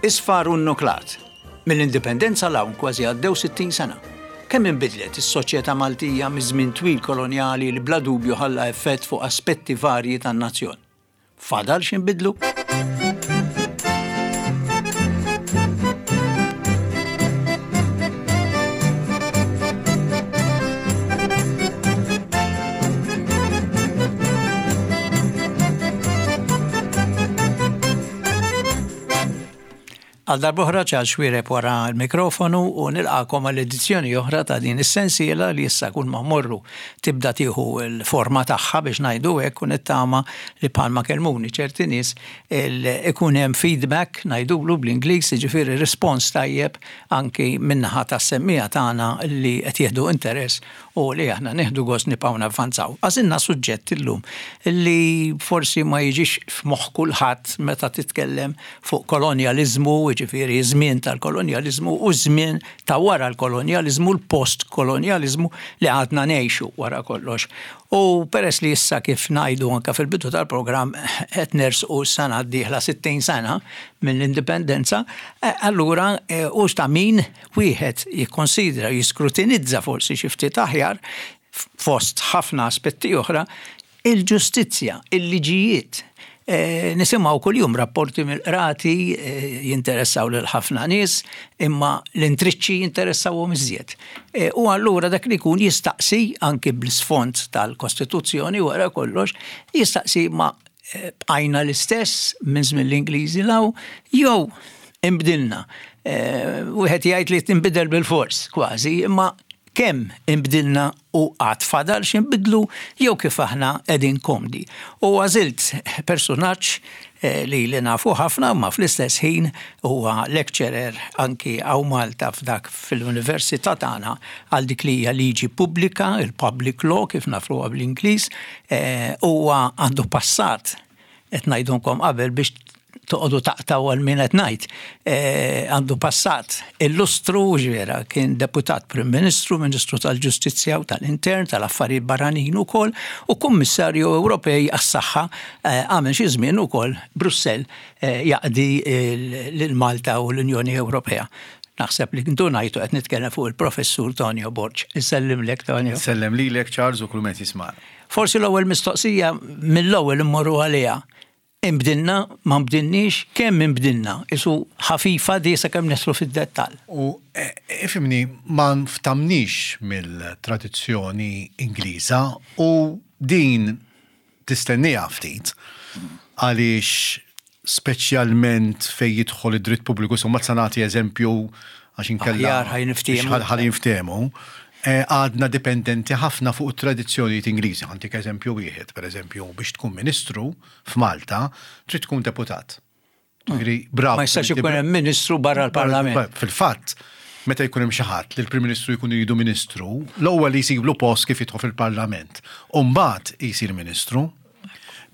Isfar u nnuklat. Mill-Indipendenza 'l hawn kważi għaddew 60 sena. Kemm inbidlet is-soċjetà Maltija miż-żmien twil kolonjali li bla dubju ħalla effett fuq aspetti varji tan-nazzjon? Fadal x'inbidlu? Għal darb'oħra Charles Xuereb wara l-mikrofonu u nilqagħkom għal edizzjoni oħra ta' din is-sensiela li issa kull ma mmorru tibda tieħu l-forma tagħha biex ngħidu hekk u nittama li bħalma kellmuni ċerti nies ikun hemm feedback ngħidulu bl-Ingliż jiġifieri rispons tajjeb anki min-naħa tas-semmiegħa tagħna li qed jieħdu interess u li aħna nieħdu gost nibqgħu navvanzaw. Għażilna suġġett illum li forsi ma jiġix f'moħħ kulħadd meta titkellem fuq kolonjaliżmu, jiġifieri ż-żmien tal-kolonjaliżmu u ż-żmien ta' wara l-kolonjaliżmu, l-post-kolonjaliżmu li għadna ngħixu wara kollox. U peress li issa kif ngħidu anke fil-bidu tal-programm qed nersqu s-sena d-dieħla 60 sena mill-Indipendenza, allura hu ta' min wieħed jikkonsidra, jiskrutinizza forsi xi ftit aħjar, fost ħafna aspetti oħra, il-ġustizzja, il-liġijiet. Nisimgħu kuljum rapporti mill-qrati jinteressaw lil ħafna nies, imma l-intriċċi jinteressawhom iżjed. U allura dak li jkun jistaqsi anki bl-isfond tal-Kostituzzjoni wara kollox, jistaqsi ma bqajna l-istess minn żmien l-Ingliżi 'l hawn jew inbdilna. Wieħed jgħid li tinbidel bilfors kważi, imma kemm inbdilna u għad fadal x'inbidlu jew kif aħna qegħdin komdi. U għażilt persunaġġ li li nafu ħafna imma fl-istess ħin huwa lecturer anki hawn Malta f'dak fil-Università tagħna għal dik li hija liġi pubblika, il-public law kif nafuha bl-Ingliż, Huwa għandu passat, qed ngħidulkom qabel biex toqogħdu taqtgħu għal min qed ngħid, għandu passat illustru ġifiera kien deputat Prim Ministru, Ministru tal-Ġustizzja u tal-Intern, tal-Affarijiet Barranin ukoll u Kummissarju Ewropej għas-Saħħa għamel xi żmien ukoll Brussell jaqdi lil Malta u l-Unjoni Ewropea. Naħseb li ndunajtu qed nitkellem fuq il-Professur Tonio Borg. Insellimlek Tonio. Insellem lilek Charles u kull min qed jismagħna. Forsi l-ewwel mistoqsija mill-ewwel immorru għaliha. Inbdilna, ma nbdilniex, kemm inbdilna? Isu ħafifa di sakemm nidħlu fid-dettall. U ifhimni, ma nftamniex mill-tradizzjoni Ingliża u din tistenniha ftit għaliex speċjalment fejn jidħol id-dritt pubbliku, insomma sa nagħti eżempju għax inkella. Aħjar ħa jinftehmu. Ħa jinftehmu. Eh, għadna dipendenti ħafna fuq it-tradizzjonijiet Ingliżi. Ħantik eżempju wieħed, pereżempju, biex tkun ministru f'Malta trid tkun deputat. Ġifieri, bravo. Ma jistax ikun hemm ministru barra l-Parlament. Fil-fatt, meta jkun hemm xi ħadd li l-Prim Ministru jkun iridu ministru, l-ewwel li jsiblu post kif jidħol fil-Parlament. U mbagħad jsir ministru.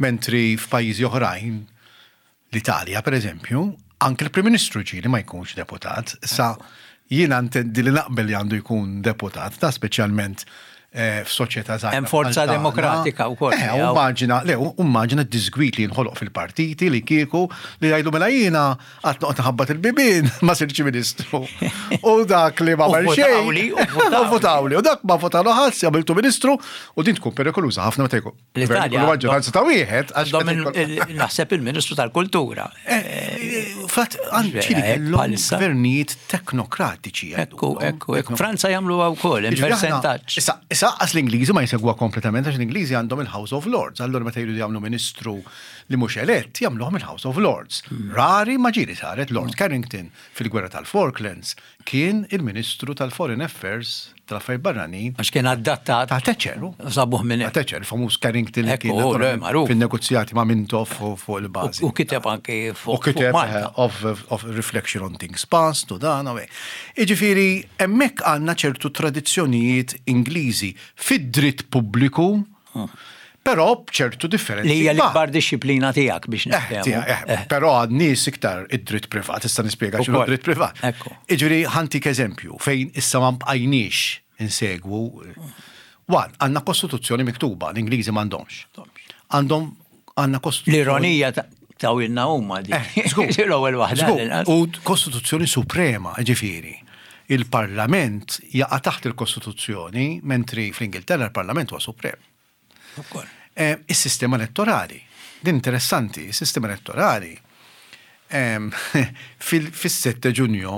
Mentri f'pajjiżi oħrajn, l-Italja pereżempju, anke l-Prim Ministru ġieli ma jkunx deputat. Issa jiena ntendi li naqbel li għandu jkun deputat, ta' speċjalment Eh, f'soċjetà żgħira. Hemm forza demokratika wkoll. Eh, immaġina, le, immaġina d-disgwit li jinħoloq fil-partiti li kieku li jgħidu mela jiena qatt noqgħod nħabbat il-bibien ma sirx ministru. U dak li ma għamel xejn. U votawli, u dak ma votalu ħadd għamiltu ministru u din tkun perikoluża ħafna meta jkun. L-Italja. Maġġoranza ta' wieħed. Naħseb il-Ministru tal-Kultura. Eh, eh, Fatt, anċi li kellhom gvernijiet teknokratiċi. Ekku, ekku, ekku. Franza jagħmlu wkoll, il-percentaġġ. Issa, issa qas l-Ingliżi ma jsegwa kompletament għax l-Ingliżi għandhom il-House of Lords. Allura meta jridu jagħmlu ministru li mhux elett, jagħmluhom il-House of Lords. Hmm. Rari ma ġieli saret Lord hmm. Carrington fil-gwerra tal-Falklands Kien il-Ministru tal-Foreign Affairs, tal-Affarijiet Barranin. Għax kien adattat. Ta' Thatcher. Sabuh minn hemm. Ta' Thatcher, il-famuż Carrington li kien fin-negozjati ma' Mintoff fuq il-bażi. U kiteb anki fuq. U kiteb of reflection on things past u dan u hekk. Jiġifieri hemmhekk għandna ċertu tradizzjonijiet Ingliżi fid-dritt pubbliku Però b'ċertu differenzi. Li hija l-ikbar dixxiplina tiegħek biex eh, niftehmu. Eh, eh, però għad nies iktar id-dritt privat, issa nispjega x'inhu dritt privat. Jiġifieri ħantik eżempju fejn issa ma bqajniex insegwu. Wan, għandna kostituzzjoni miktuba, l-Ingliżi m'għandhomx. Għandhom għandna kostituzzjoni. L-ironija. Tawilna huma dik. Eh, żgur. L-ewwel waħda. Żgur. l-inqas. U Kostituzzjoni Suprema, ġifieri. Il-Parlament jaqa' taħt il-Kostituzzjoni, mentri fl-Ingilterra l-Parlament huwa suprem. Ukoll. Eh, Is-sistema elettorali. Din interessanti, is-sistema elettorali em, fil-7 Ġunju,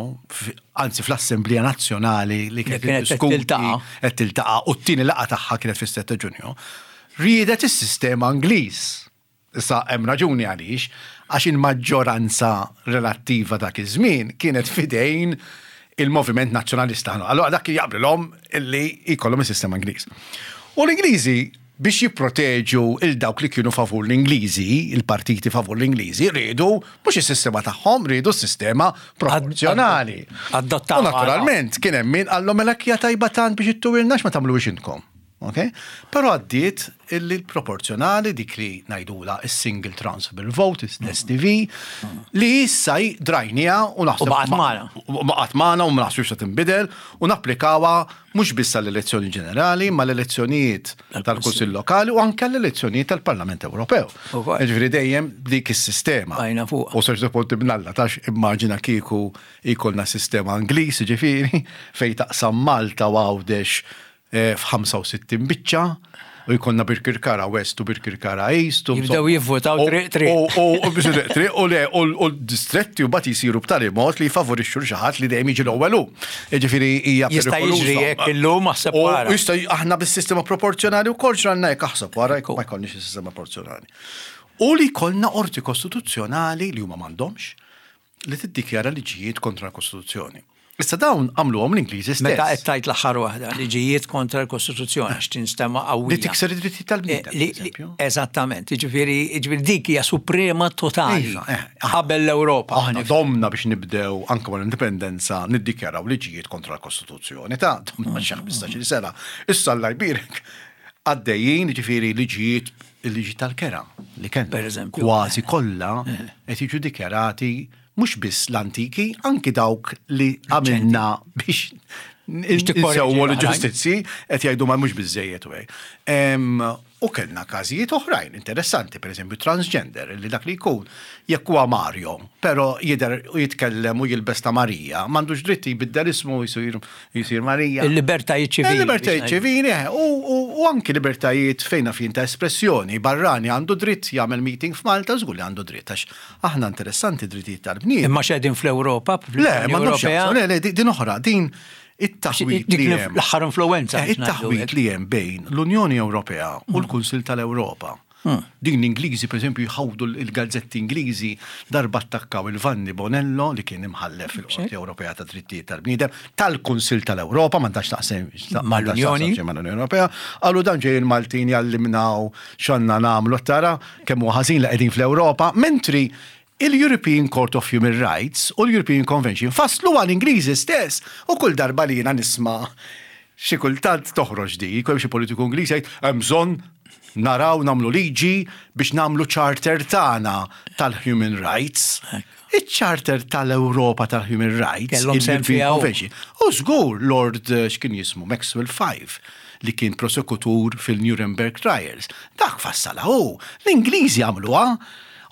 anzi fl-Assemblea Nazzjonali li kienet kienet qed tiddiskuti- tiltaqa'. qed tiltaqa' u t-tieni laqgħa tagħha kienet fis-7 Ġunju, riedet is-sistema Ingliż. Issa hemm raġuni għaliex, għax il-maġġoranza relattiva dak iż-żmien kienet fidejn il-Moviment Nazzjonalista. Allora dak jaqblilhom illi jkollhom is-sistema Ingliż. U l-Ingliżi biex jipproteġu il dawk li kienu favur l-Ingliżi, il-partiti favur l-Ingliżi, riedu mhux is-sistema tagħhom, riedu s-sistema proporzjonali. Adottawha. U naturalment kien hemm min qallhom mela hija tajba tant biex ittuwilna x'ma tagħmluhiex intkom. Ok? Però għaddiet illi l-proporzjonali dik li ngħidula is-single transferable vote, l-STV, li issa drajnija u naħseb. U baqgħet magħna. U baqgħet magħna u ma naħsibx se tinbidel u napplikawha mhux biss għall-elezzjoni ġenerali, ma l-elezzjonijiet tal-Kunsill Lokali u anke l-elezzjonijiet tal-Parlament Ewropew. Ukoll. Ġifieri dejjem dik is-sistema. Bajna fuqha. U serġu punti bnalla tax immaġina kieku jkollna sistema Ingliż, ġifieri, fej taqsam Malta u Għawdex f'65 biċċa u jkollna Birkirkara West u Birkirkara East. u Jibdew insomma- jivvotaw u- triq triq. U u- u biex triq triq u le u u l-distretti u bat jisiru b'tali mod li jfavorixxu l xi ħadd li dejjem jiġi l-ewwel hu. Jiġifieri hija Jista' perikoluża. jiġri hekk illum aħseb U wara. Jista' aħna bis-sistema proporzjonali wkoll ġranna hekk aħseb wara jekk ma jkollniex is-sistema proporzjonali. U li jkollna qorti kostituzzjonali li huma m'għandhomx li tiddikjara liġijiet kontra l-Kostituzzjoni. Issa dawn għamluhom l-Ingliżi stess. Meta qed tajt l-aħħar waħda, liġijiet kontra l-Kostituzzjoni għax tinstema' qawwija. Li tikser id-drittijiet tal-bniedem, Eh, li- per eżempju. Eżattament, jiġifieri jiġifieri dik hija suprema totali Iva, eh, qabel l-Ewropa. Aħna domna biex nibdew anke wara l-indipendenza niddikjaraw liġijiet kontra l-Kostituzzjoni ta' domna xi 15-il sena. Issa Alla jbierek għaddejjin ġifieri liġijiet il-liġi tal-kera li kellna. Per eżempju. Kważi kollha qed jiġu dikjarati mhux biss l-antiki, anki dawk li għamilna biex tikkorreġi insewwu l-oħrajn. l-ġustizzji qed jgħidu ma mhux biżejjed u hekk. Em, U kellna każijiet oħrajn interessanti, per eżempju transgender, li dak li jkun jekk huwa Mario, però jidher u jitkellem u jilbes ta' Marija, m'għandux dritt jbiddel ismu jsir jsir Marija. Il-libertajiet ċivili. Il-libertajiet biex ngħidu. ċivili, eh, u, u, u anki libertajiet fejn fin ta' espressjoni. Barrani għandu dritt jagħmel meeting f'Malta, żgur li għandu dritt, għax aħna interessanti drittijiet tal-bniedem. Imma x'qegħdin fl-Ewropa, Le, fl-Unjoni ma nafx Ewropea. le, le, di- din oħra, din it-taħwit Dik li hemm. l-aħħar influenza. Eh, biex ngħidu It-taħwit hekk. li hemm bejn l-Unjoni Ewropea u l-Kunsil tal-Ewropa. Din l-Ingliżi, per eżempju, jħawdu l-gazzetti Ingliżi darba attakkaw il-Vanni Bonello li kien imħallef fil-Qorti Ewropea ta' Drittijiet tal-Bniedem tal-Kunsil tal-Ewropa, ma ndax taqsem Mal-Unjoni. mal-Unjoni Ewropea, qalu dan ġej il-Maltin jallimnaw x'għandna nagħmlu tara kemm huwa ħażin li qegħdin fl-Ewropa, mentri il-European Court of Human Rights u l-European Convention faslu għal-Ingliżi stess u kull darba li jiena nisma' xi kultant toħroġ di, jkun hemm xi politiku Ingliż jgħid hemm bżonn naraw nagħmlu liġi biex nagħmlu charter tagħna tal-human rights. Iċ-charter tal-Ewropa tal-Human Rights, Kellhom sehem il-European fiha hu. Convention. U żgur Lord eh, x'kien jismu Maxwell Five li kien prosekutur fil-Nuremberg Trials. Dak fassala hu. L-Ingliżi għamluha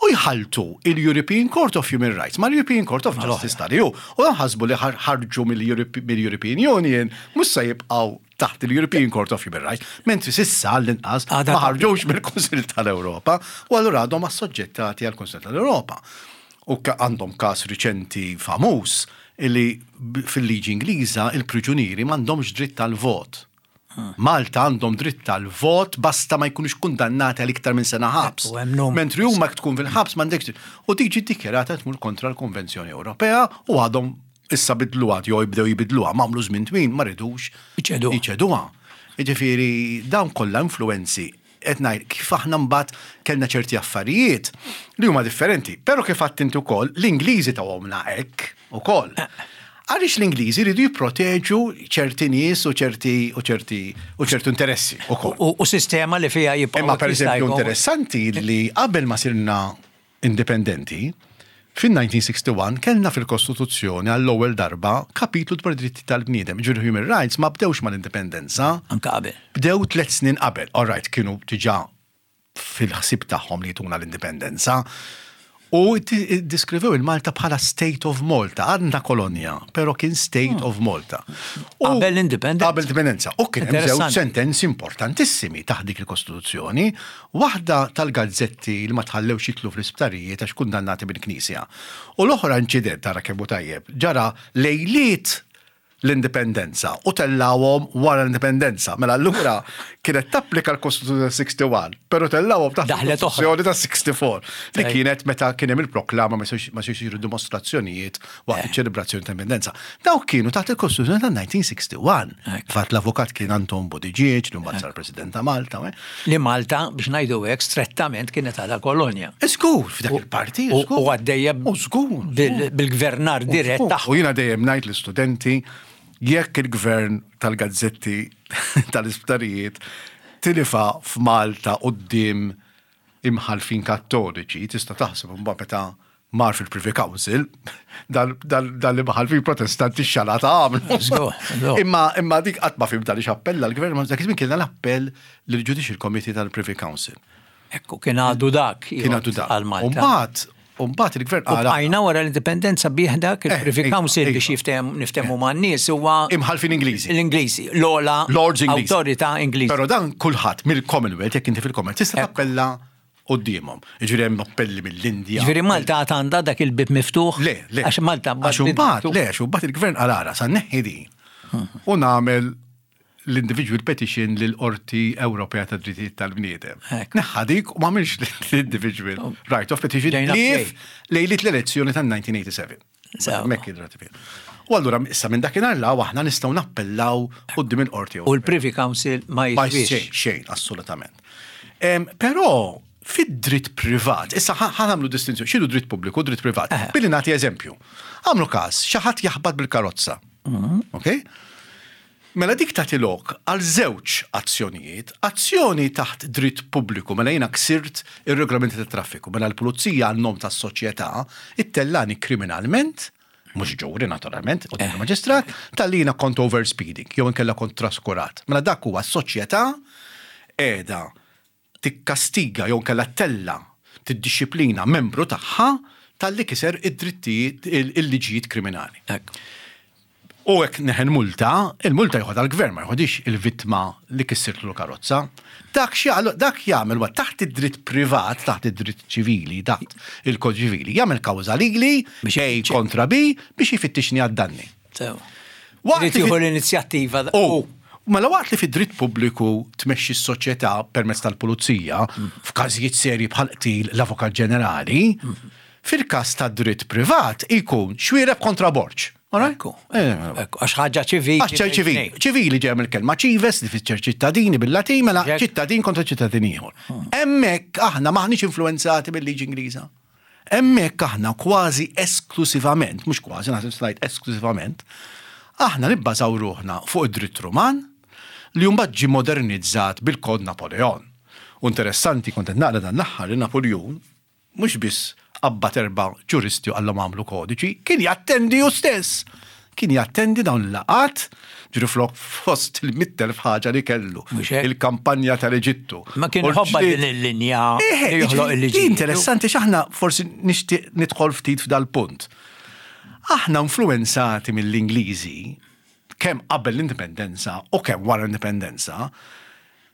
u jħaltu il-European Court of Human Rights ma l-European Court of Justice tal-EU. U dan ħasbu li ħar- ħarġu mill-European Union mhux se jibqgħu taħt il-European Court of Human Rights, mentri sissa l-inqas Għadha ma ħarġux mill-Kunsill tal-Ewropa u allura għadhom assoġġettati għall-Kunsill tal-Ewropa. U ka- għandhom każ riċenti famuż illi fil-liġi Ingliża il-priġunieri m'għandhomx dritt tal-vot. Malta għandhom dritt tal-vot basta ma jkunux kundannati għal iktar minn sena ħabs. U hemm numru. Mentri huma jekk tkun fil-ħabs m'għandekx dritt. U diġi ddikjarata tmur kontra l-Konvenzjoni Ewropea u għadhom issa bidluha jew jibdew jibidluha m'għamlu żmien twil ma ridux Iċeduha. Iċeduha. Jiġifieri dawn kollha influenzi qed ngħid kif aħna mbagħad kellna ċerti affarijiet li huma differenti. Però kif għadt inti wkoll l-Ingliżi tawhomna hekk ukoll. Għaliex l-Ingliżi jridu jipproteġu ċerti nies u ċerti u ċerti u ċertu interessi ukoll. U u sistema li fiha jibqgħu Imma per jista' eżempju jkun- interessanti li qabel ma sirna indipendenti, fin-1961 kellna fil-Kostituzzjoni għall-ewwel darba kapitlu dwar dritti tal-bniedem. Ġifieri human rights ma bdewx mal-indipendenza, Anka qabel. bdew tliet snin qabel. All right, kienu diġà fil-ħsib tagħhom li jtuna l-indipendenza. U ddiskrivew il-Malta bħala State of Malta, għadna kolonja, però kien State hmm. of Malta. Qabel l-indipendenza. Qabel l-indipendenza. U kien hemm żewġ sentenzi importantissimi taħt dik il-Kostituzzjoni, waħda tal-gazzetti li ma tħallewx jitlu fl-isptarijiet għax kundannati mill-Knisja. U l-oħra inċident tara kemm hu tajjeb, ġara lejliet l-indipendenza u tellgħuhom wara l-indipendenza. Mela allura kienet tapplika l-Kostituzzjoni ta' 61, però tellgħuhom taħt il-Kostituzzjoni ta' 64 li kienet meta kien hemm il-proklama ma jistgħux isiru dimostrazzjonijiet waqt eh. iċ-ċelebrazzjoni ta' indipendenza. Dawk kienu taħt il-Kostituzzjoni ta' 1961. Fatt l-avukat kien Anton Buttigieg, li mbagħad sar President ta' Malta. Eh. Li Malta, biex ngħidu hekk, strettament kienet għadha kolonja. Żgur, f'dak il-parti, U għaddejja bil-gvernar dirett tagħha. U jiena dejjem ngħid l-istudenti jekk il-gvern tal-gazzetti tal-isptarijiet tilifa f'Malta quddiem imħallfin kattoliċi, tista' taħseb imbagħad meta mar fil-Privy Council, dal-imħallfin protestanti xalata għamlu. Imma imma dik qatt ma fhimt għaliex appella l-gvern, ma dak iż-żmien kien l-appell lill-Judicial Committee tal-Privy Council. Ekku, kien għadu dak. Kien għadu dak. Għal Malta. Umbagħad, umbagħad il-gvern qal. Għajna wara l-indipendenza bih dak eh, il-Privy iva, Council biex iva. niftehmu eh. man-nies huwa. Imħalfin Ingliżi. L-Ingliżi, l-ola Lords Ingliżi. Awtorità Ingliżi. Però dan kulħadd mill-Commonwealth, jekk inti fil-Commonwealth, tista' tappella quddiemhom. Jiġifieri hemm appelli mill-Indja. Jiġifieri Malta għad għandha dak il-bieb miftuħ? Le, le. Għax Malta Għax imbagħad, le, għax imbagħad il-gvern qal ara sa nneħħi din u nagħmel l-individual petition lill-Qorti Ewropea tad-Drittijiet tal-Bniedem. Neħħa dik u m'għamilx l-individual oh. right of petition li lejliet l-elezzjoni tan-1987. Hemmhekk id-ratifika. U allura issa minn dakinhar la aħna nistgħu nappellaw quddiem il-qorti. U l-Privy Council ma jiswix. Xejn, xejn, assolutament. Però fid-dritt privat, issa ħanamlu distinzjoni, x'inhu dritt pubbliku u dritt privat? Billi nagħti eżempju. Għamlu każ, xi ħadd jaħbat bil-karozza. Mhm. Ok? Mela dik tagħti lok għal żewġ azzjonijiet, azzjoni taħt dritt pubbliku, mela jiena ksirt ir-regolamenti tat-traffiku, mela l-pulizija għan-nom tas-soċjetà ittellani kriminalment, mhux ġuri naturalment, quddiem il-maġistrat, talli jiena kont overspeeding jew inkella kont traskurat. Mela dak huwa s-soċjetà qiegħda tikkastiga jew inkella ttella' tiddixxiplina membru tagħha talli kiser id-drittijiet il-liġijiet kriminali. U hekk neħel multa, il-multa joħodha l-gvern ma joħodix il-vittma li kissirtlu l-karozza. Dak dak jagħmel huwa taħt id-dritt privat, taħt id-dritt ċivili, taħt il-kod ċivili, jagħmel kawża lili A kontra B biex jfittixni għad-danni. Waqt li jieħu l-inizjattiva. U mela waqt li fid-dritt pubbliku tmexxi s-soċjetà permezz tal-pulizija, f'każijiet serji bħal qtil l-Avukat Ġenerali, fil-każ tad-dritt privat ikun Xuereb kontra Borg. Ekku, eh, għax ħaġa ċivili. Għax ċivili. Ċivili ġej mill-kelma ċives li fisser ċittadini bil-Latin, mela ċittadin kontra ċittadin ieħor. Hmm. Hemmhekk aħna maħniex influenzati bil-liġi Ingliża. Hemmhekk aħna kważi esklusivament, mhux kważi, naħseb ngħid esklusivament, aħna nibbażaw ruħna fuq id-dritt Ruman li mbagħad ġie modernizzat bil-Kod Napoleon. U interessanti kont qed naqra dan l-aħħar li Napoleon mhux biss qabbad erba' ġuristi u qallhom agħmlu kodiċi, kien jattendi hu stess. Kien jattendi dawn il-laqgħat, ġifieri flok fost il-100,000 ħaġa li kellu. Il-kampanja tal-Eġittu. Ma kien ħobba din il-linja li joħloq il-liġi. Interessanti x'aħna forsi nixtieq nidħol ftit f'dal-punt. Aħna influenzati mill-Ingliżi kemm qabel l-indipendenza u kemm wara l-indipendenza,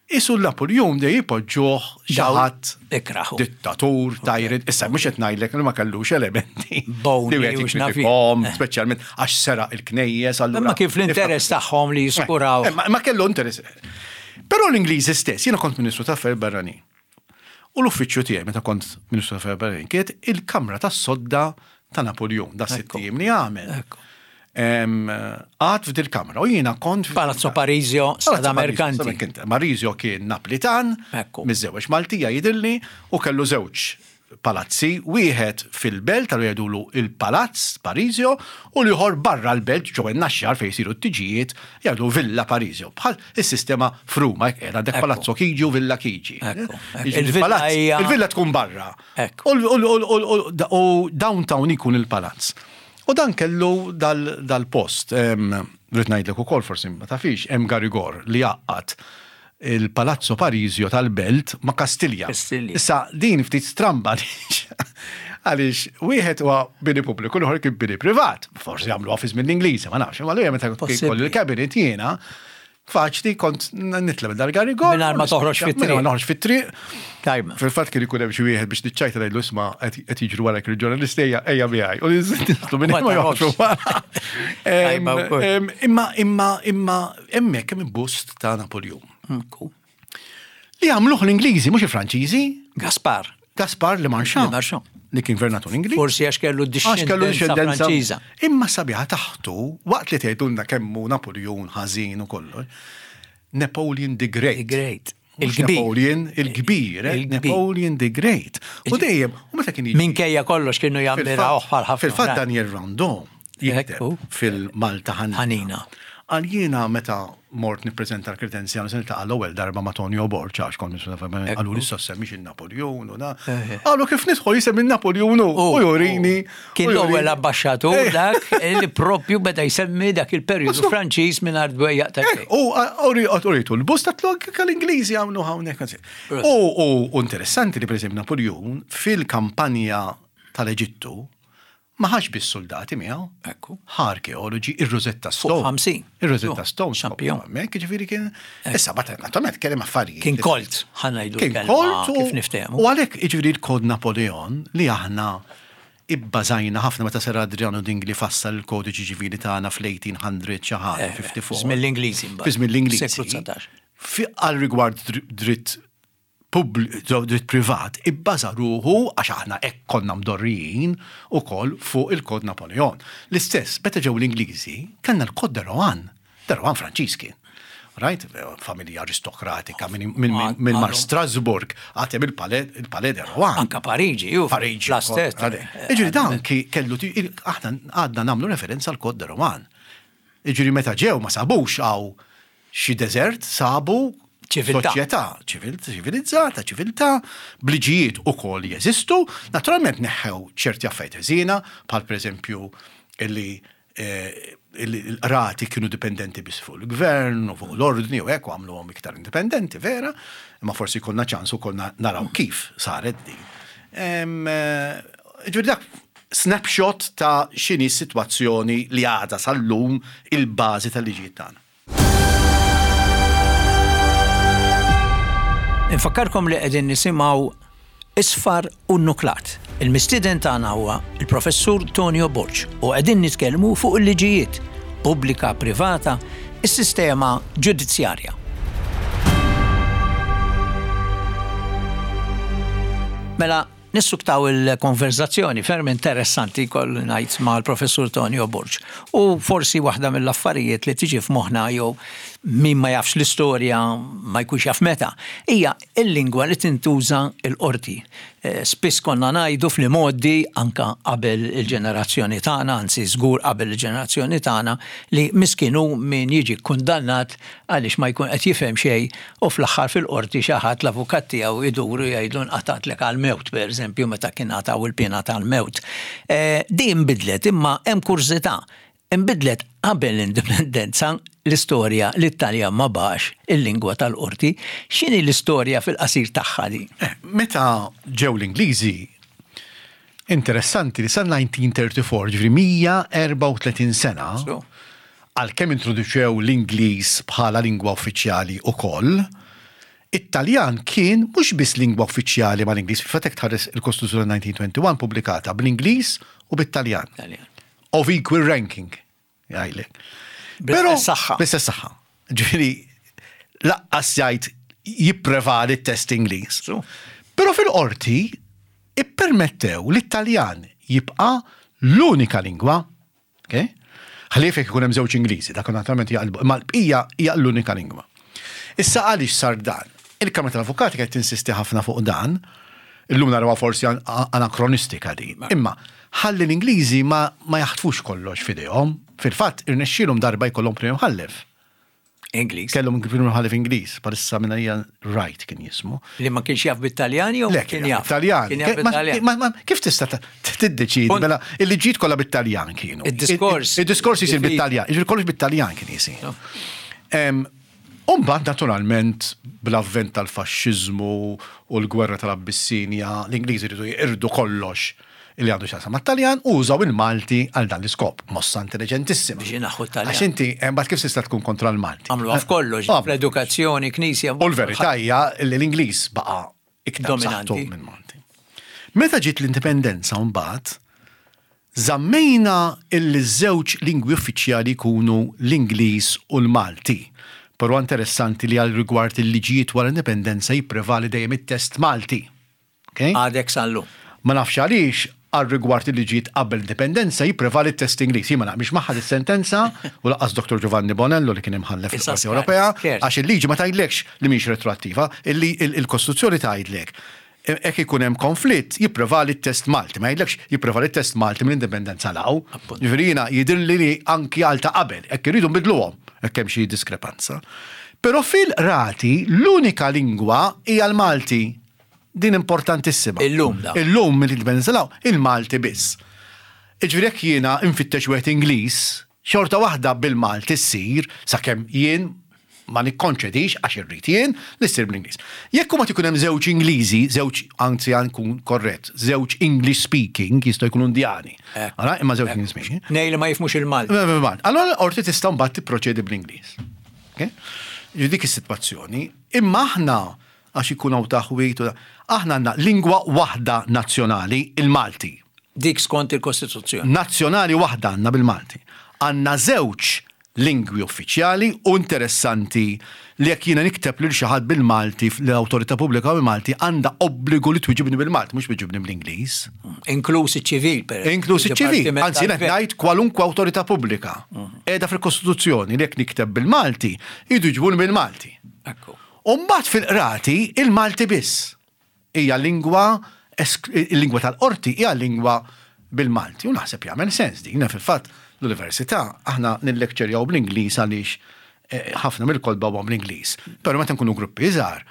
Qisu l-Napuljun dejjem jpoġġuh xi ħadd dittatur, tyrant, issa mhux qed ngħidlek li ma kellux elementi li wieħed jikkritikahom, speċjalment għax seraq il-knejjes allura. Imma kien fl-interess tagħhom li jiskuraw. Ma kellu interess. Però l-Ingliżi stess, jiena kont Ministru tal-Affarijiet Barranin. U l-uffiċċju tiegħi meta kont Ministru tal-Affarijiet Barranin kienet il-kamra tas-sodda ta' Napuljun, da sitt ijiem li għamel. Qagħad f'dil kamra u jiena kont. Palazzo Parisio, Strada Mercanti. Parisio kien Naplitan, miżżewweġ Maltija jidhirli, u kellu żewġ palazzi, wieħed fil-belt, allura jgħidulu il-Palazz Parisio, u l-ieħor barra l-belt ġewwa n-Naxxar fejn jsiru t-tiġijiet, jgħidu Villa Parisio. Bħal is-sistema f'Ruma, hekk qiegħda għandek Palazzo Chigi u Villa Chigi. Il-villa tkun barra. U downtown ikun il-palazz. U dan kellu dal-post. Rrid ngħidlek ukoll forsi ma tafix, hemm Garigor li jgħaqqad. il-Palazzo Parisio tal-Belt ma' Kastilja. Issa din ftit stramba għaliex wieħed huwa bini pubbliku, l-ieħor kien bini privat. Forsi għamluha fi żmien l-Ingliżi, ma nafx. Imma allura meta kelli il-cabinet jiena Faċli kont nitla minn dal-garigol. Mingħajr ma toħroġ fit-triq. Mingħajr ma noħroġ fit-triq. Tajba. Fil-fatt kien ikun hemm xi wieħed biex niċċajta ngħidlu isma' qed jiġru wara il-ġurnalisti ejja ejja miegħi. U nitlu minn ma joħroġu wara. Imma imma imma hemmhekk hemm bust ta' Napoljun. Li għamluh l-Ingliżi mhux il-Franċiżi. Gaspar. Gaspar Le Marchand. Le Marchand. Li kien gvernatur Ingliż. Forsi għax kellu dixxendenza Franċiża. Imma sabiħa taħtu, waqt li tgħidulna kemm hu Napoleon ħażin u kollox, Napoleon the Great. The Great. Il-kbir. Napoleon il-kbir, eh? Napoleon the Great. U dejjem, u meta kien Minkejja kollox kienu jammirawh bħal ħafna. Fil-fatt Daniel Randon jikteb fil-Malta Ħanina. Qal jiena meta mort nippreżenta l-kredenzjali se niltaqa' l-ewwel darba ma' Tonio Borg għax kont qaluli issa semmix il-Napoljun u da. Qalu kif nidħol jisem il-Napoljun u jurini. Kien l-ewwel ambaxxatur dak li propju beda jsemmi dak il-perjodu Franċiż mingħajr dwejjaq ta' xejn. U uritu l-bust ta' tlok l-Ingliżi għamlu hawnhekk. U interessanti li pereżempju Napoljun fil-kampanja tal-Eġittu Ma ħax biss suldati miegħu. Ekku. Ħa arkeoloġi, ir-Rosetta Stone. 50. Ir-Rosetta Stone. Xampion. Hemmhekk, jiġifieri kien. Issa bagħad naturalment kellem affarijiet. Kien kolt, ħa ngħidu Kien kolt. Kif niftehmu. U għalhekk jiġifieri l-Kod Napoleon li aħna ibbażajna ħafna meta Sir Adriano Dingli fassal il-kodiċi ċivili tagħna fl-1800 xi ħaġa, 54. Fi żmien l-Ingliżi mbagħad. Fi żmien l-Ingliżi. Seklu 19. Għal rigward dritt dritt privat ibbaża ruħu, għax aħna hekk konna mdorrijin ukoll fuq il-Kod Napoleon. L-istess, meta ġew l-Ingliżi, kellna l-Kod de Rohan. De Rohan Franċiż kien. Right? Familja aristokratika minn mar Strasbourg, għad hemm il-Palais de Rohan. Anka Pariġi, ju. Pariġi. L-istess. Jiġifieri dan kellu, aħna għadna nagħmlu referenza għall-Kod de Rohan. Jiġifieri meta ġew ma sabux hawn xi deżert, sabu ċiviltà. Soċjetà ċivilizzata, ċiviltà, b'liġijiet ukoll jeżistu, naturalment neħħew ċerti affarijiet ħżiena, bħal pereżempju li l-qrati kienu dipendenti biss fuq il-gvern u fuq l-ordni u hekk u għamluhom iktar indipendenti, vera, imma forsi jkollna ċans ukoll naraw kif saret din. Ġifieri dak snapshot ta' x'inhi s-sitwazzjoni li għadha sal-lum il-bażi tal-liġijiet tagħna. Infakkarkom li qegħdin nisimgħu Isfar u Nuklat. Il-mistieden tagħna huwa il-Professur Tonio Borg u qegħdin nitkellmu fuq il-liġijiet pubblika, privata, is-sistema ġudizzjarja. Mela, Nissuktaw il-konverżazzjoni ferm interessanti jkolli ngħid mal-Professur Tonio Borg. U forsi waħda mill-affarijiet li tiġi f'moħħna jew min ma jafx l-istorja ma jkunx jaf meta, hija l-lingwa li tintuża l-qorti. Spiss konna ngħidu fl-imgħoddi anke qabel il-ġenerazzjoni tagħna, anzi żgur qabel il-ġenerazzjoni tagħna, li miskin hu min jiġi kkundannat għaliex ma jkun qed jifhem xejn u fl-aħħar fil-qorti xi ħadd l-avukat tiegħu idur u jgħidlu nqatgħatlek għall-mewt, pereżempju meta kien ngħataw il-piena tal-mewt. Din inbidlet imma hemm kurżità, inbidlet qabel l-indipendenza l-istorja li t-Taljan ma baqax il-lingwa tal-qorti. X'inhi l-istorja fil-qasir tagħha din? Meta ġew l-Ingliżi, interessanti li sa 1934, ġifieri 134 sena, għalkemm introduċew l-Ingliż bħala lingwa uffiċjali ukoll, it-Taljan kien mhux biss lingwa uffiċjali mal-Ingliż, fil-fatt jekk tħares il-Kostituzzjoni 1921 pubblikata bl-Ingliż u bit-Taljan. Of equal ranking, jgħidlek. Bl-istess saħħa. Bl-istess saħħa. Ġifieri laqqas jgħid jipprevali t-test Ingliż. Però fil-qorti ippermettew li t-Taljan jibqa' l-unika lingwa Okay? Ħlief jekk ikun hemm żewġ Ingliżi, dak naturalment jaqilbu, imma l-bqija hija l-unika lingwa. Issa għaliex sar dan? Il-Kamra tal-Avukati qed tinsisti ħafna fuq dan, illum narawha forsi anakronistika din. Imma ħalli l-Ingliżi ma, ma jaħtfux kollox f'idejhom. Fil-fatt irnexxielhom darba jkollhom Prim Imħallef. Ingliż. Kellhom Prim Imħallef Ingliż, bħalissa minn hija Wright kien jismu. Li ma kienx jaf bit-Taljan jew Le, kien jaf? Taljan. Kien jaf bit-Taljan. Kif tista' tiddeċiedi mela il-liġijiet kollha bit-Taljan kienu. Id-diskors. Id-diskors jisir bit-Taljan, jiġifieri kollox bit-Taljan kien jisir. U mbagħad naturalment bl-avvent tal-faxxiżmu u l-gwerra tal-Abbissinja, l-Ingliżi riedu jeqirdu kollox li għandu x'jaqsam mat-Taljan u użaw il-Malti għal dan l-iskop. Mossa intelliġentissima. Biex inaħħu t-Taljan. Għax inti imbagħad kif tista' tkun kontra l-Malti? Għamluha f'kollox, fl-edukazzjoni, knisja. U l-verità hija li l-Ingliż baqa' iktar b'saħħtu minn Malti. Meta ġiet l-indipendenza mbagħad, żammejna illi ż-żewġ lingwi uffiċjali jkunu l-Ingliż u l-Malti. Però interessanti li għal rigward il-liġijiet wara l-indipendenza jipprevali dejjem it-test Malti. Okay? Għadek sal-lum. Ma nafx għaliex għal rigward il-liġijiet qabel l-indipendenza jipprevali t-test Ingliż. Jien ma naqbilx magħha dis-sentenza u lanqas Dottor Giovanni Bonello li kien imħallef fil-Qorti Ewropea għax il-liġi ma tgħidlekx li mhix retroattiva, il-Kostituzzjoni tgħidlek hekk ikun hemm konflitt jipprevali t-test Malti, ma jgħidlekx jipprevali t-test Malti mill-indipendenza 'l hawn. Jiġifieri jiena jidhirli li anki għal ta' qabel, hekk irridu nbiddluhom hekk hemm xi diskrepanza. Però fil-qrati l-unika lingwa hija l-Malti. Din importantissima. Illum da. Illum mill-indipendenza 'l hawn, il-Malti biss. Jiġifieri jekk jiena nfittex wieħed Ingliż, xorta waħda bil-Malti ssir sakemm jien ma nikkonċedix għax irrid jien li ssir bl-Ingliż. Jekk imbagħad ikun hemm żewġ Ingliżi, żewġ anzi għan nkun korrett, żewġ English speaking, jistgħu jkunu Indjani. Ara, imma żewġ English speaking. Tnejn li ma jifhmux il-Malti. Allora l-qorti tista' mbagħad tipproċedi bl-Ingliż. Ġifieri dik is-sitwazzjoni. Imma aħna għax ikun hawn taħwid u aħna għandna lingwa waħda nazzjonali, il-Malti. Dik skont il-Kostituzzjoni. Nazzjonali waħda għandna bil-Malti. Għandna żewġ lingwi uffiċjali u interessanti li jekk jiena nikteb lil xi ħadd bil-Malti l-awtorità pubblika bil-Malti għandha obbligu li twiġibni bil-Malti, mhux twiġibni bl-Ingliż. Inkluż iċ-ċivil, per Inkluż iċ-ċivil. Anzi, qed ngħid kwalunkwe awtorità pubblika. Qiegħda fil-Kostituzzjoni li jekk nikteb bil-Malti, jridu jġibuni bil-Malti. Ekku. U mbagħad fil-qrati il-Malti biss. Hija lingwa il-lingwa tal-qorti hija lingwa bil-Malti u naħseb jagħmel sens din. Fil-fatt l-università aħna nillekċerjaw bl-Ingliż għaliex eh, ħafna mill-kotba huma bl-Ingliż. Però meta nkunu gruppi iżgħar,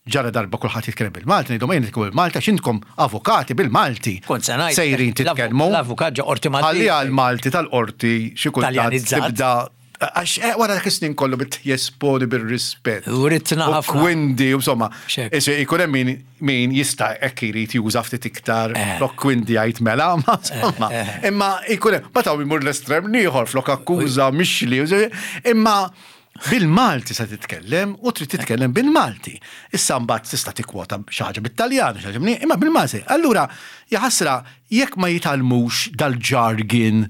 ġara darba kulħadd jitkellem bil-Malti, ngħidhom ejja nitkellmu bil-Malti għax intkom avukati bil-Malti. Kont se ngħid. Sejrin titkellmu. L-avukat ġo qorti Malti. Ħalli għall-Malti tal-qorti xi kultant tibda Għax eh, wara dak is-snin kollu bit jesponi bir-rispett. U ridtna ħafna. U kwindi, insomma. Ikun hemm min, min jista' hekk irid juża ftit iktar eh. flok kwindi jgħid mela, ma eh, insomma. Imma ikun hemm, ma taw imur l-estrem ieħor flok akkuża mixli. Imma bil-Malti se titkellem u trid titkellem bil-Malti. Issa mbagħad tista' tikkwota xi ħaġa bit-Taljan, xi ħaġa imma bil-Malti. Allura, jaħasra jekk ma jitgħallmux dal-jargon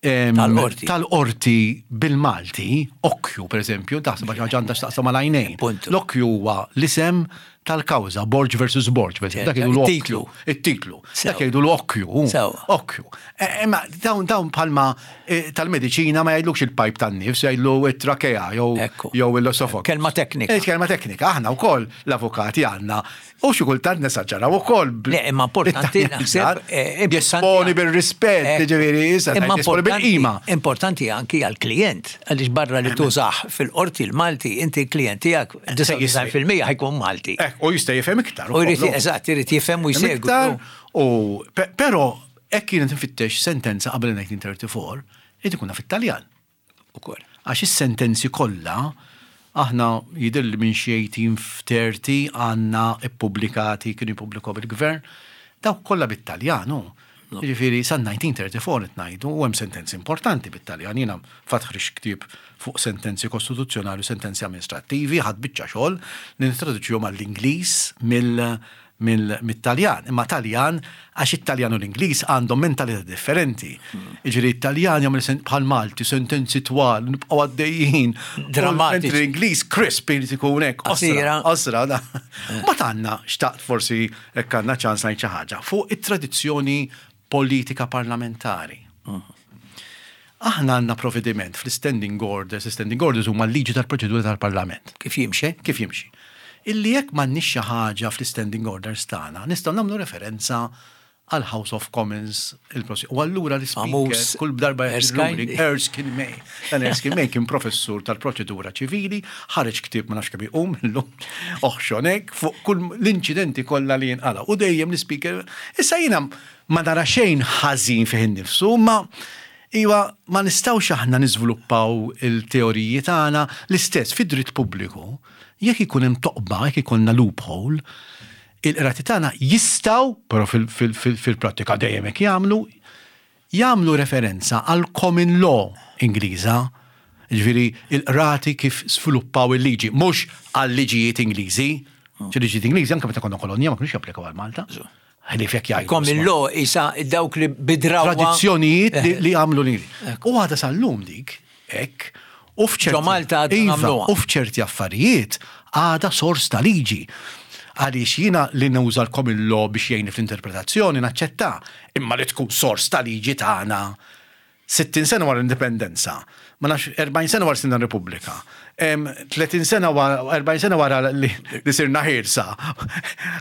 Tal-qorti. Tal-qorti bil-Malti, okkju per eżempju, taħseb għax għandha x'taqsam mal-għajnejn. L-okkju huwa l-isem tal-kawża, Borg versus Borg, per eżempju. Dak jgħidu l-okkju. It-titlu. Dak jgħidu l-okkju. Okkju. E, imma dawn dawn bħalma e, tal-mediċina ma jgħidlux il-pajp tan-nifs, jgħidlu it-trakea jew jew l-osofok. Kelma teknika. E, kelma teknika. Aħna wkoll l-avukati għandna U xi kultant nesaġġeraw ukoll. Le, imma importanti naħseb. Eh, Jesponi bil-rispett, eh, ġifieri, issa imma bil-qima. Importanti anki għall-klient, għaliex barra li tużah fil-qorti l-Malti, inti l-klient tiegħek 99% ħajkun Malti. Eh, u jista' jifhem iktar. U jrid eżatt, irid jifhem u jsegwi. U però hekk kienet nfittex sentenza qabel 1934, irid ikun fit-Taljan. Ukoll. Għax is-sentenzi kollha, aħna jidhirli minn xi 1830 għandna ppubblikati, kienu jippubblikahom il-gvern, dawk kollha bit-Taljan hu. Jiġifieri sal-1934 qed ngħidu u hemm sentenzi importanti bit-Taljan. Jiena fatt ħriġt ktieb fuq sentenzi kostituzzjonali u sentenzi amministrattivi, ħadt biċċa xogħol li nittraduċihom għall-Ingliż mill mit-Taljan, imma Taljan għax it-Taljan u l-Ingliż għandhom mentalità differenti. Jiġifieri t-Taljan jagħmel bħal Malti sentenzi twal, nibqgħu għaddejjin. Drammatiċi. L-Ingliż crisp irid ikun hekk. Qasira. Qosra. Mbagħad għandna xtaqt forsi hekk għandna ċans ngħid xi ħaġa fuq it-tradizzjoni politika parlamentari. Aħna għandna provvediment fl-standing orders, standing orders huma l-liġi tal-proċedura tal-Parlament. Kif jimxi? Kif jimxi. Illi jekk m'għandniex xi ħaġa fl-standing orders tagħna, nistgħu nagħmlu referenza għal House of Commons il-prosi. U allura l-speaker kull darba Erskine. Erskine May. Dan Erskine May kien professur tal-proċedura ċivili, ħareġ ktieb ma nafx kemm iqum illum, oħxonek fuq kull l-inċidenti kollha li jinqala. U dejjem l-speaker. Issa jiena ma nara xejn ħażin fih innifsu, ma. Iwa, ma nistgħux aħna niżviluppaw il-teoriji tagħna l-istess fid-dritt pubbliku. Jekk ikun hemm toqba, jekk ikollna loophole, il-qrati tagħna jistgħu, però fil-prattika dejjem hekk jagħmlu, jagħmlu referenza għal common law Ingliża, jiġifieri l-qrati kif sviluppaw il-liġi, mhux għal-liġijiet Ingliżi. Xi liġijiet Ingliżi anke meta konna kolonja ma kinux japplikaw għal Malta. Ħlief jekk jgħidu. Common law isa dawk li bidrawa. Tradizzjonijiet li għamlu l-Ingliżi. U għadha sal-lum dik, hekk, u f'ċerti. Malta iva, u f'ċerti affarijiet għadha sors ta' liġi. Għaliex jiena li nuża l-common law biex jgħinni fl-interpretazzjoni naċċetta, imma li tkun sors ta' liġi tagħna 60 sena wara l-indipendenza, ma nafx 40 sena wara sirna Repubblika, 30 sena wara 40 sena wara li sirna ħielsa,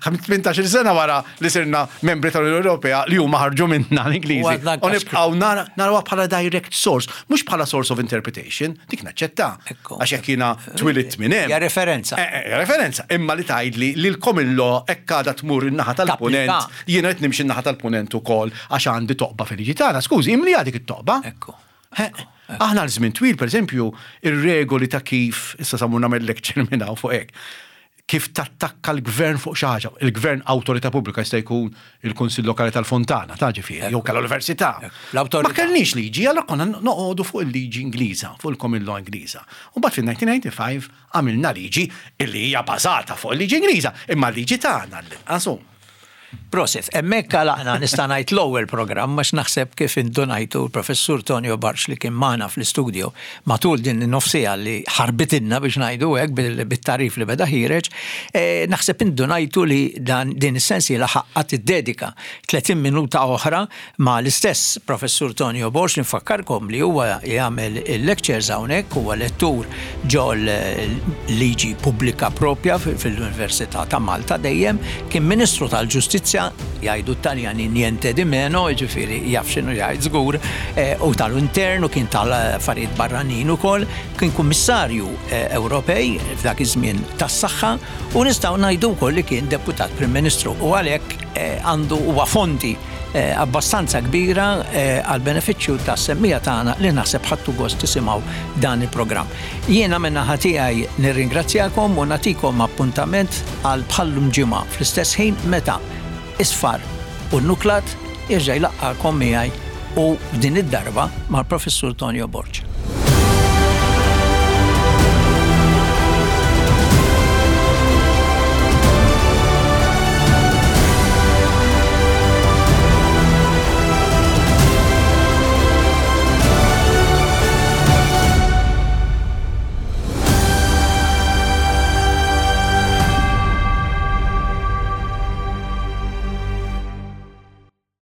18 sena wara li sirna membri tal-Unjoni Ewropea li huma ħarġu minna l-Ingliżi. U nibqgħu narawha bħala direct source, mhux bħala source of interpretation, dik naċċetta. Għax jekk jiena twilidt minn hemm. Hija referenza. Eh, eh, referenza, imma li tgħidli li l-common law hekk għadha tmur in-naħa tal-punent, jiena qed nimxi n-naħa tal-punent ukoll għax għandi toqba fil-liġi tagħna. Skużi, imli dik it-toqba. Ekku. Aħna għal żmien twil, pereżempju, ir-regoli ta' kif, issa samur nagħmel lecture minn hawn fuq hekk, kif tattakka l-gvern fuq xi ħaġa. Il-gvern awtorità pubblika jista' jkun il-Kunsill Lokali tal-Fontana, ta' ġifieri, jew kellha l-università. Ma kellniex liġi, allura konna noqogħdu fuq il-liġi Ingliża, fuq il-common law Ingliża. U mbagħad fil-1995 għamilna liġi illi hija bażata fuq il-liġi Ingliża, imma l-liġi tagħna l-inqas. Prosit, hemmhekk għalaqna nista' ngħid l-ewwel programm għax naħseb kif indunajtu l-Professur Tonio Bartsch li kien magħna fl-istudio matul din in-nofsiegħa li ħarbitilna biex ngħidu hekk bit-tagħrif li beda ħiereġ, eh, naħseb indunajtu li dan din is-sensiela ħaqqa tiddedika 30 minuta oħra ma' l-istess Professur Tonio Borg li nfakkarkom li huwa jagħmel il-lectures hawnhekk, huwa lettur ġol liġi pubblika propja fil-Università ta' Malta dejjem, kien Ministru tal-Ġustizzja, jgħidu t-Taljani niente di meno, jiġifieri jaf x'inhu jgħid żgur, eh, u tal-Intern u kien tal-affarijiet barranin ukoll, kien Kummissarju eh, Ewropej f'dak iż-żmien tas-saħħa u nistgħu ngħidu wkoll li kien Deputat Prim Ministru u għalhekk eh, għandu huwa fonti eh, abbastanza kbira eh, għal benefiċċju tas-semmija tagħna li naħseb ħadtu gost tisimgħu dan il-programm. Jiena min-naħa tiegħi nirringrazzjakom u nagħtikom appuntament għal bħallum ġimgħa fl-istess ħin meta isfar u nuklat jerġa' jlaqqakom miegħi u din id-darba mal-Professur Tonio Borg.